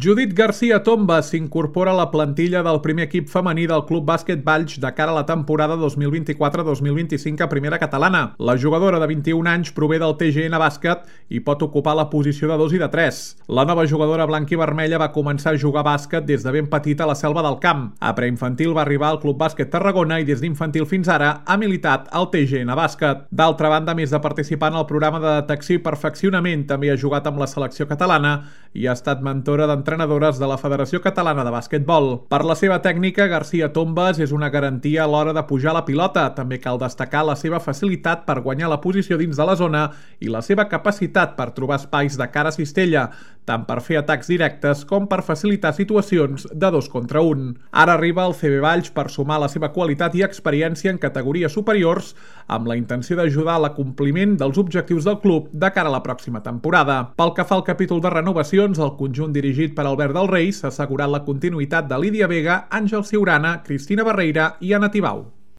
Judit García Tomba s'incorpora a la plantilla del primer equip femení del Club Bàsquet Valls de cara a la temporada 2024-2025 a Primera Catalana. La jugadora de 21 anys prové del TGN Bàsquet i pot ocupar la posició de 2 i de 3. La nova jugadora blanc-i-vermella va començar a jugar bàsquet des de ben petita a la Selva del Camp. A preinfantil va arribar al Club Bàsquet Tarragona i des d'infantil fins ara ha militat al TGN Bàsquet. D'altra banda, a més de participar en el programa de detecció i perfeccionament, també ha jugat amb la selecció catalana i ha estat mentora d'entrenadores de la Federació Catalana de Bàsquetbol. Per la seva tècnica, García Tombas és una garantia a l'hora de pujar la pilota. També cal destacar la seva facilitat per guanyar la posició dins de la zona i la seva capacitat per trobar espais de cara a cistella, tant per fer atacs directes com per facilitar situacions de 2 contra 1. Ara arriba al CB Valls per sumar la seva qualitat i experiència en categories superiors amb la intenció d'ajudar a l'acompliment dels objectius del club de cara a la pròxima temporada. Pel que fa al capítol de renovacions, el conjunt dirigit per Albert del Rei s'ha assegurat la continuïtat de Lídia Vega, Àngel Ciurana, Cristina Barreira i Anna Tibau.